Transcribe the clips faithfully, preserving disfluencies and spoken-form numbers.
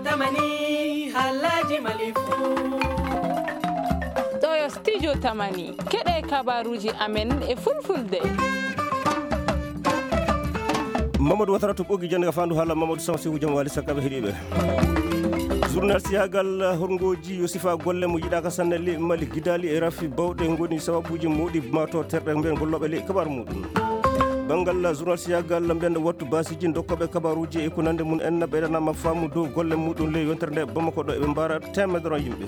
Tamani, halaji malifu. Ɗo yo studio Tamani. Keɗe kabaruji amen e fulfulde. Mamadou Watara to ɓoggi jannde ka fandu haala Mamadou Samsiwu jam wali sakkaɓe heɗiɓe. Journal siyagal horngoji yo sifa golle mo yiɗaka sanne le Mali gidali e rafi bawɗe ngoni sababuji moɗi mato terɗe mbiyen golloɓe le kabar muɗum. Banngal journal siyagal mbiyen wattu basiji dokkoɓe kabaruji e ko nande mum en ɓeydanama faamu dow golle muɗum le yontere nde Bamako ɗo eɓe mbara temedere yimɓe.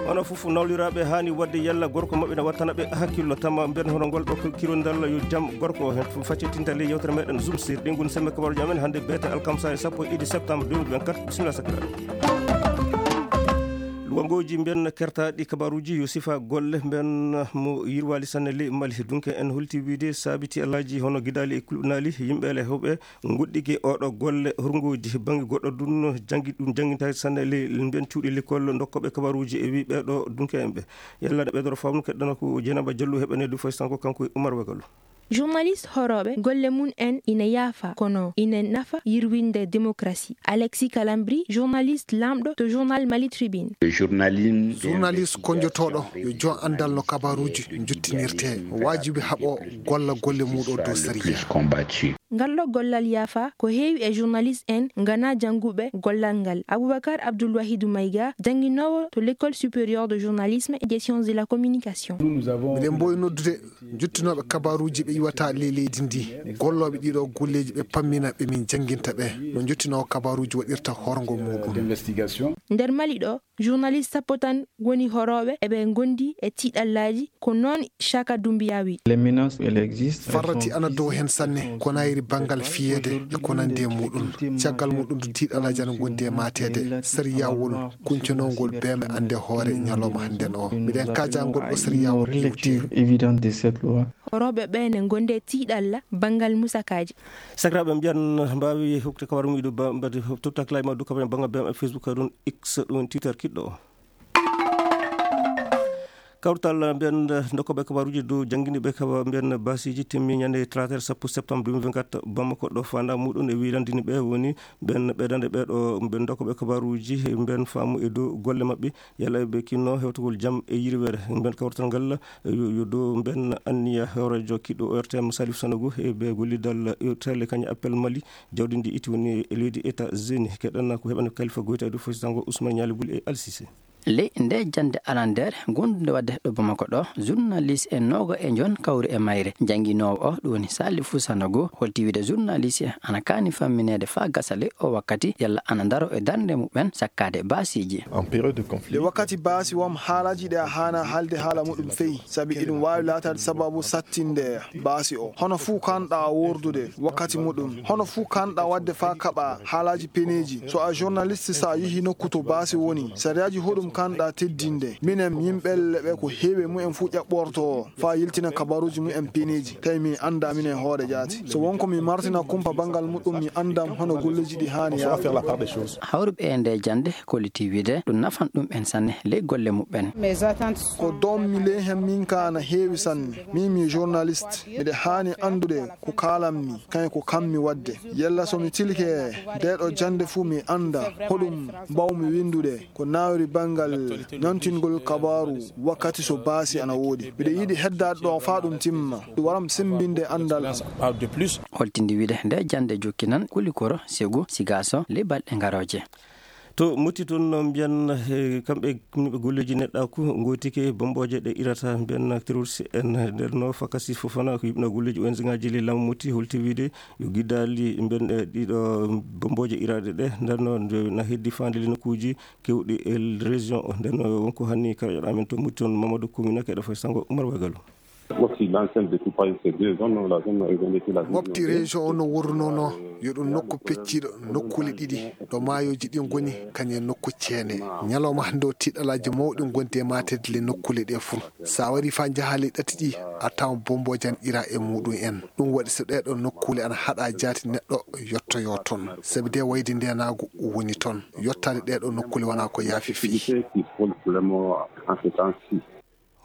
Hono fof nawliraaɓe haani waɗde yalla gorko maɓɓe na wattana ɓe hakkillo tama mbiyen hono ngol ɗo ko kirondal yo jam gorko o heen fof faccitinta ley yewtere meɗen Zoom sir ɗi ngon semme kabaruji amen hannde beete alkamsa e sappo e ɗiɗi septembre deux mille vingt-quatre. Bisimilla sakira. Luwangooji mbiyen kertaaɗi kabaruji yo sifa golle mbiyen mo yirwali sanne ley Mali dunke en holti wiide saabiti alaaji hono gidaali e kulɓinaali yimɓe le hewɓe ngoɗɗike oɗo golle horngoji bannge goɗɗo dun janngi ɗum janngintaake sanne ley mbiyen cuuɗi l'école dokkoɓe kabaruji e wi ɓeɗo dunke en ɓe. Yalla ne ɓeydoro faamu keɗɗana ko Dieynaba Diallo heɓane du fay sanko kanko e Oumar Wagalo. Journaliste horooɓe golle mum en ina yaafa kono ina nafa yirwinde démocratie. Alexis Kalambri, journaliste lamɗo to journal Mali Tribune. Journaliste konjotooɗo yo jon anndal no kabaruji jottinirte. Waajibi haɓo golla golle muɗo dow sariya. Ngal ɗo gollal yaafa ko heewi e journaliste en ngana jannguɓe gollal ngal. Aboubacar Abdoul Wahidou Maïga, jannginoowo to l'école supérieure de journalisme et des sciences de la communication. Miɗen mboyi noddude jottinooɓe kabaruji ɓe iwata ley leydi ndi. Gollooɓe ɗiɗo golleji ɓe pammina ɓe min jannginta ɓe no jottinoowo kabaruji waɗirta horngo muɗum. Nder Mali ɗo, journaliste sappo tan woni horooɓe eɓe ngondi e tiiɗallaaji, ko noon Chaka Doumbia wi. Farrati ana dow heen sanne, ko nayri banngal fiyeede e ko nandi e muɗum. Caggal muɗum, tiiɗallaaji ana ngondi e mateede. Sariyawol kuncanowol beeme annde hoore ñalawma hannden o. Miɗen kaajangol ɗo sariyawol iwte. Horooɓe ɓe ne ngondi e tiiɗalla banngal musakaaji. Sakiraaɓe mbiyan mbaawi hokkude kabaru muɗum ba mbaɗi tottak lay ma du kabaru banngal B M F Facebook ɗum X ɗum Twitter kiɗɗo o. Kawtal mbiyen dokkoɓe kabaruji dow jannginiɓe kaba mbiyen basiji timmi ñande talaata sappo septembre deux mille vingt-quatre Bamako ɗo fanda muɗum e wirandini ɓe woni ɓen ɓeydande ɓe ɗo mbiyen dokkoɓe kabaruji mbiyen faamu e dow golle maɓɓe yalla ɓe kinno hewtugol jam e yirwere mbiyen kawtal ngal yo dow mbiyen anniya hewrejo kiɗɗo O R T M Salif Sanogo e ɓe gollidal tele kañum appel Mali jawdi ndi itti woni e leydi États-Unis keɗen ko heɓen kalifa goyta e dow fo sango Ousmane Ñaali Bul e Alsise. Ley nde jannde arandeere gondunde waɗde ɗo Bamako ɗo, journaliste e nooga e njon kawri e mayre. Jannginoowo o, ɗum woni Salifu Sanogo, holti wiide journaliste ana kaani fammineede faa gasa ley o wakkati, yalla ana ndaro e darnde muɓɓen sakkaade baasiiji. En période de conflit. Nde wakkati baasi wam haalaaji ɗi a haana haalde haala muɗum feyi, sabi iɗum waawi laataade sababu sattinde baasi o. Hono fuu kanɗa wordude wakkati muɗum. Hono fuu kanɗa waɗde faa kaɓa haalaaji peneeji. So a journaliste, so a yehi nokku to baasi woni, sariyaaji hoɗum kanɗa teddinde? Minen yimɓe ɓe ko heewi e mumen fuu ƴaɓɓorto faa yiltina kabaruuji mumen peneeji. Tawi mi annda minen hoore jaati. So won ko mi martina kumpa banngal muɗum, mi anndan hono golleeji ɗi haani yaade. Hawruɓe e nde jannde kolliti wiide ɗum nafan ɗum en sanne ley golle muɓɓen. Ko doommi ley hen min ka na heewi sanne. Min mi journaliste. Miɗa haani anndude ko kaalanmi, kañum ko kammi waɗde. Yalla so mi tilike nde ɗo jannde fuu mi annda hoɗum mbawmi winndude ko nawri banngal ñantingol kabaaru wakkati so baasi ana woodi. Miɗa yiɗi heddaade ɗo faa ɗum timma. Ɗum waram semmbinde anndal am. Holtindi wiide nde jannde jokkinan Kulikoro, Segu, Sigaaso, ley balɗe ngarooje. To Moti toon no mbiyan, eh, kamɓe yimɓe golleeji neɗɗaaku ngootike bombooje ɗe irata mbiyan terroriste en nder no Fakasi Fofana ko yimɓe golleeji O N G ngaji ley laamu Moti holti wiide yo giddaali mbiyan, eh, ɗiɗo bombooje iraaɗe ɗe nder no nde na heddi faande le nokkuuji keewɗi e région o. Nder no wonko hanni karaƴoɗo amen to Moti toon Mamadou Koumina keɗo fay sango Oumar Wagalo. Mofti, l'enceinte de Toupaï, c'est deux zones, la zone urbaine et puis la zone Mofti région o no worrunono, yo ɗum nokku pecciiɗo, nokkuule ɗiɗi, ɗo maayooji ɗi ngoni, kañum e nokku ceene. Ñalawma hannde o, tiiɗalaaji mawɗi ngondi e maateede le nokkuule ɗe fuu. So a warii faa njahaa le ɗati ɗi, a tawan bombooje ana ira e muɗum en. Ɗum waɗi so ɗee ɗoo nokkuule ana haɗa jaati neɗɗo yottoyoo toon. Sabi de wayde ndeenaagu woni toon. Yottaade ɗee ɗoo nokkuule wonaa ko yaafi fii. Activité qui frôle vraiment en ce temps-ci.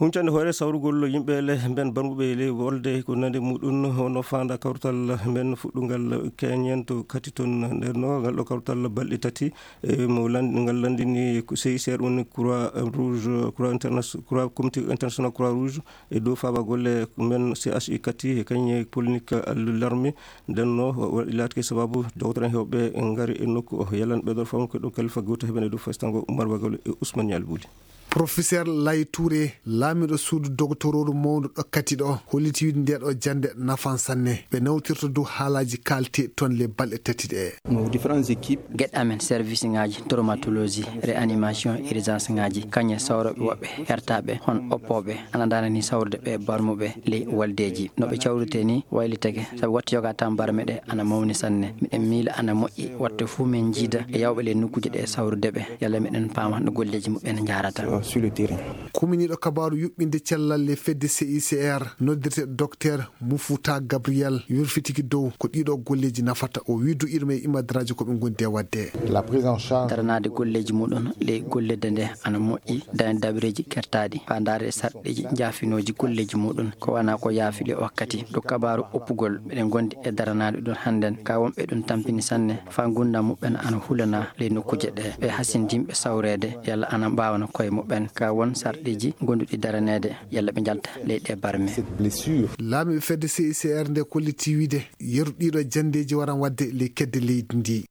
Huncande hoore sawrugol yimɓe le mben barmuɓe le wolde ko nande muɗum hono faanda kawtal men fuɗɗungal keñen to kati ton. Nden no ngal ɗo kawtal balɗe tati, e mo land-, ngal landini ko C I C R, woni Croix Rouge, Croix Interna-, Croix, Comité International Croix Rouge, e dow faaba golle men C H I kati e kañe polinik larme. Nden no wa-, wa-, laatke sababu dogtoran hewɓe ngari e nokku o. Yalan ɓeɗo fam ko ɗo kalifa goto heɓene dow festango Umar Bagol e Ousmane Yalbuli. Professeur Lay Touré, laamiɗo suudu dogtorooru mawndu ɗo kati ɗo, holliti wiide nde ɗo jannde nafan sanne. Ɓe nawtirta dow haalaaji kaalti toon le balɗe tati ɗe. Nos différentes équipes. Geɗe amen, service ŋaaji traumatologie, réanimation, urgence ŋaaji, kañe sawroɓe woɓɓe hertaɓe hon oppooɓe, ana ndanani sawrude ɓe barmuɓe ley waldeeji. No ɓe cawrite ni waylitake, sabu watta yoga tan barme ɗe ana mawni sanne. Miɗen miila ana moƴƴi watta fuu men jiida e yawɓe ley nokkuuje ɗe sawrude ɓe. Yalla miɗen paama no golleeji muɓɓen njahrata. Sur le terrain. Kuminiiɗo kabaaru yuɓɓinde cellal le fedde C I C R, noddirte Docteur Mouffouta Gabriel, yurfitiki dow ko ɗiɗo golleeji nafata. O wi duɗirma e imadraaji ko ɓe ngondi e waɗde. La prise en charge. Daranaade golleeji muɗum ley gollirde nde ana moƴƴi, dañde dabareeji kertaaɗi, faa ndaarde sarɗiiji njaafinooji golleeji muɗum, ko wona ko yaafi le wakkati. Ɗo kabaaru oppugol, meɗen ngondi e daranaade ɗum hannden, ka wonɓe ɗum tampini sanne, faa ngurndan muɓɓen ana hulana ley nokkuuje ɗe. Ɓe hasindinɓe sawreede, yalla ana mbaawana koye muɓɓen, ka won sarɗiiji gonduɗi daraneede, yalla ɓe njalta ley ɗe barme. Cette blessure. Laamiiɓe fedde C I C R nde kolliti wiide yeru ɗiɗo janndeeji waran waɗde ley kedde leydi ndi.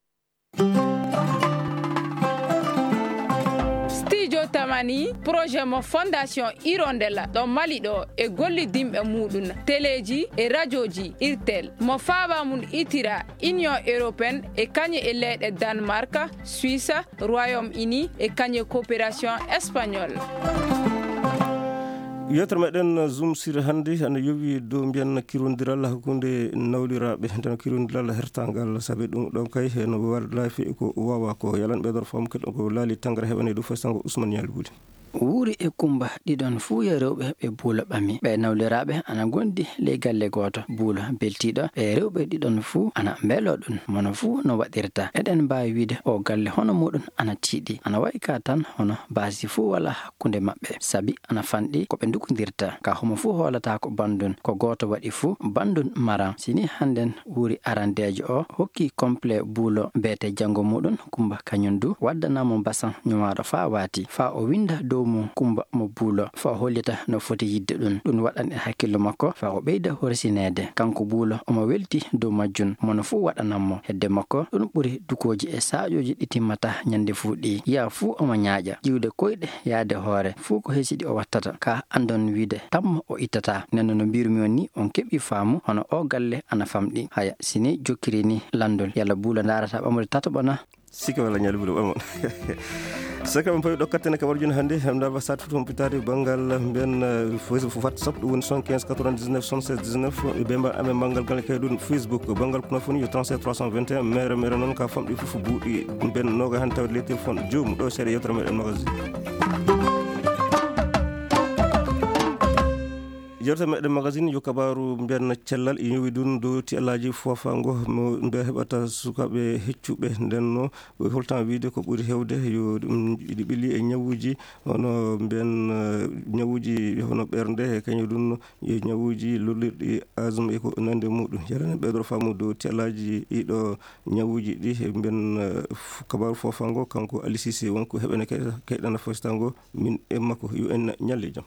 Studio Tamani, projet mo Fondation Hirondella ɗo Mali ɗo e gollidinɓe muɗum, teleeji e rajooji Irtel, mo faaba mum itira Union Européenne e kañe e leyɗe Danemark, Suisse, Royaume-Uni e kañe coopération espagnole. Yewtere meɗen Zoom sur hannde ana yowi dow mbiyan kirondiral hakkunde nawliraaɓe, nden kirondiral hertangal, sabi ɗum ɗon kay heno wallaafi ko wawa ko. Yalan ɓeydor fam keɗo ko laali tangara heɓane dow festango Ousmane Yalbuli. Wuuri e Kumba ɗiɗon fuu yo rewɓe ɓe Buulo ɓami. Ɓe nawliraaɓe ana ngondi ley galle gooto. Buulo beltiiɗo, ɓe rewɓe ɗiɗon fuu ana mbeloo ɗum, mono fuu no waɗirta. Eɗen mbaawi wiide o galle hono muɗum ana tiiɗi. Ana wayi ka tan hono baasi fuu walaa hakkunde maɓɓe, sabi ana fanɗi ko ɓe ndukondirta. Ka homo fuu hoolata ko banndun, ko gooto waɗi fuu banndun maran. Si ni hannden wuuri arandeejo o hokki complet Buulo beete janngo muɗum, Kumba kañum du waddana mo basan ñumaaɗo faa waati, faa o winnda dow mum Kumba mo Buulo, faa o hollita no foti yiɗde ɗum. Ɗum waɗan e hakkillo makko faa o ɓeyda horsineede. Kanko Buulo omo welti dow majjum, mono fuu waɗanan mo. Hedde makko ɗum ɓuri dukooji e saaƴooji ɗi timmataa ñande fuu ɗi. Yiya fuu omo ñaaƴa, ƴiwde koyɗe yaade hoore, fuu ko hesidi o wattata. Ka anndon wiide tammo o ittataa. Nden no mbirumi on ni, on keɓi faamu hono o galle ana famɗi. Haya, si ni jokkiri ni lanndol, yalla Buulo ndaarata ɓamude tataɓo na? Sike walla ñaali Buulo ɓamon. Saka on pawi ɗo kattene ka warjun hannde, hannde ba sat foto on pitaade banngal mbiyan, eh, Facebook, WhatsApp, ɗum woni soixante-quinze quatre-vingt-dix-neuf soixante-seize dix-neuf, e bemba amen banngal gal kay ɗum Facebook, banngal kono foni yo trente-sept trois cent vingt et un, mere mere noon ka famɗi fof buuɗi mbiyan noga hannde tawde les téléphones joom ɗo seeɗa yewtere meɗen magazine. Yewtere meɗen magazine yo kabaaru mbiyan cellal e ñowi ɗum dow ti alaaji fofango mo mbiya heɓata sukaaɓe heccuɓe ndenno. Holtan wiide ko ɓuri heewde yo ɗum ɗi ɓili e ñawuuji hono mbiyan, eh, ñawuuji hono ɓernde e kañum ɗum yo ñawuuji lollirɗi asma e ko nande muɗum. Yalana ɓeydoro faamu dow ti alaaji ɗiɗo ñawuuji ɗi e mbiyan, eh, f-, kabaaru fofango kanko Ali Cissé wonko heɓene kay-, kayɗana fostango min e makko yo en ñalle jam.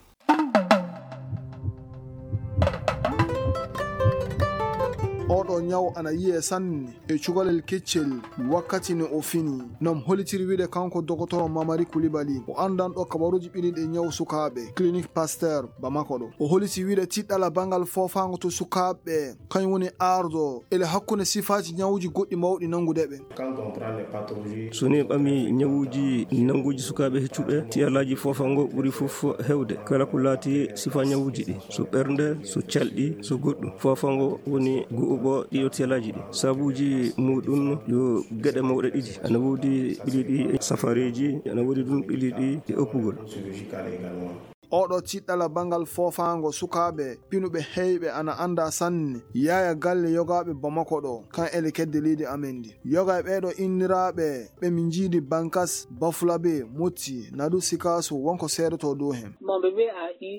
Oɗo ñaw ana yiye sanne e cukalel keccel wakkati no o fini. Nom holitiri wiide kanko Dokotoro Mamari Kulibali, o anndanɗo kabaruuji ɓiliɗi e ñaw sukaaɓe, Clinique Pasteur Bamako ɗo. O holiti wiide tiɗɗala banngal foofaango to sukaaɓe, kañum woni ardo ele hakkunde sifaaji ñawuuji goɗɗi mawɗi nanngude ɓe. So ni ɓami ñawuuji nannguuji sukaaɓe heccuɓe, tiyalaaji foofaango ɓuri fof heewde. Kala ko laati sifaa ñawuuji ɗi, so ɓernde, so calɗi, so goɗɗum. Foofaango woni gu'uɓo ɗiɗo tiyalaaji ɗi. Sabuuji muɗum yo geɗe mawɗe ɗiɗi. Ana woodi ɓili ɗi e safareeji, ana woodi ɗum ɓili ɗi e oppugol. Oɗo tiɗɗala bangal foofaango sukaaɓe pinuɓe heyɓe ana anndaa sanne yaaya galle yogaaɓe Bamako ɗo, kan ele kedde leydi amen ndi. Yoga e ɓeeɗo inniraaɓe ɓe min njiidi Bankas, Bafulabe, Motti, Nadu Sikaso wonko seedoto dow heen.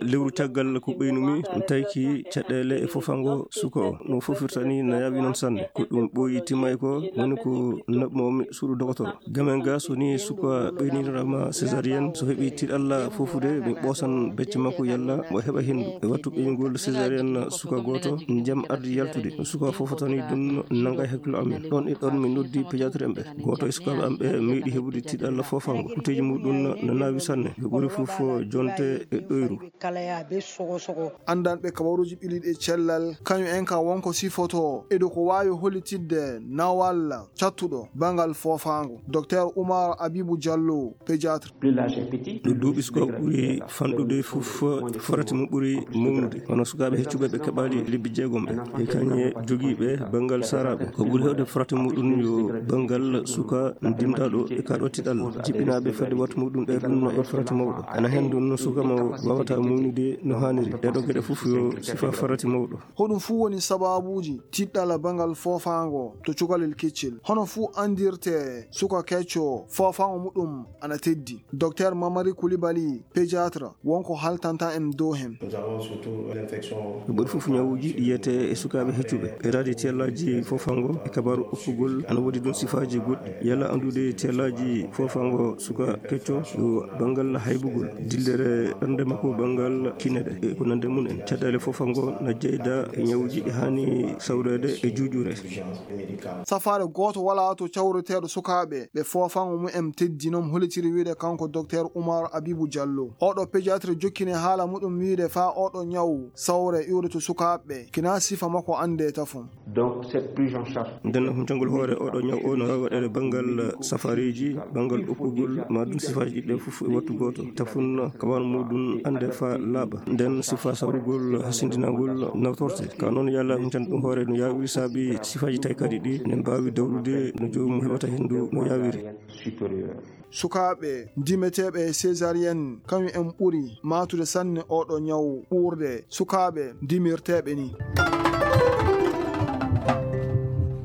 Lewru caggal ko ɓeynumi, mi tawki caɗeele e foofaango suka o. No foofirta ni na yaawi noon sanne. Ko ɗum ɓooyi timmay ko, woni ko naɓmo mi suudu dogotoro. Gamen ga so ni suka ɓeynirama césarienne, so heɓi tiɗalla foofude, mi ɓoosan becce makko yalla mo heɓa henndu. E wattu ɓeynugol césarienne suka gooto, jam ardi yaltude. Suka foofotani ɗum nanga e hakkillo amen. Ɗon e ɗon mi noddi pédiatre en ɓe. Gooto e sukaaɓe am ɓe meeɗi heɓude tiɗalla foofaango. Kuteeji muɗum no naawi sanne. Ɓe ɓuri fof jonte e ɗoyru. Anndanɓe kabaruuji ɓiliiɗi e cellal, kañum en ka wonko sifoto e dow ko waawi hollitidde nawal cattuɗo bangal foofaango. Docteur Oumar Abibou Diallo, pédiatre. Ɗo duuɓi suka ɓuri fanɗude fof, farati mum ɓuri mawnude. Kono sukaaɓe heccuɓe ɓe keɓaali lebbi jeegom ɓe. E kañe jogiiɓe bangal saraaɓe. Ko ɓuri heewde farati muɗum yo bangal suka dimdaɗo e kaɗo tiɗal. Jiɓɓinaaɓe fedde wattu muɗum ɓe ɗum no e farati mawɗo. Ana heen ɗum no suka mo wawata mawnude no haaniri. Ɗeɗo geɗe fof yo sifa farati mawɗo. Hoɗum fof woni sababuuji tiɗɗala bangal foofaango to cukalel keccel. Hono fof anndirte suka kecco foofaango muɗum ana teddi. Docteur Mamari Koulibaly, pédiatre, wonko haltanta en dow heen. Ɓuri fof ñawuuji ɗi yiyete e sukaaɓe heccuɓe. Ɓe raadi tellaaji foofaango e kabaru uppugol ana woodi ɗum sifaaji goɗɗi. Yalla anndude tellaaji foofaango suka kecco yo bangal haybugol, dillere ɓernde makko, bangal kine ɗe e ko nande mum en. Caɗeele foofaango na jeyda e ñawuuji ɗi haani sawreede e juuƴure. Safaare gooto walaa to cawreteeɗo sukaaɓe ɓe foofaango mum en teddi, noon hollitiri wiyde kanko Docteur Oumar Abibou Diallo. Oɗo pédiatre jokkini haala muɗum wiyde faa oɗo ñaw sawre iwde to sukaaɓe ɓe, kina sifa makko annde tafon. Nden huncangol hoore oɗo ñaw o no waɗeede bangal safareeji, bangal uppugol, ma ɗum sifaaji ɗiɗi fof e wattu gooto. Tafon kaban muɗum annde faa laaɓa. Nden sifa sawrugol hasindinagol nawtorte. Ka noon yalla huncande ɗum hoore no yaawiri saabi sifaaji taykaɗi ɗi ne mbaawi dawrude no joomum heɓata henndu no yaawiri. Sukaaɓe dimeteeɓe e césarienne, kañum en ɓuri maatude sanne oɗo ñaw ɓuurde sukaaɓe dimirteeɓe ni.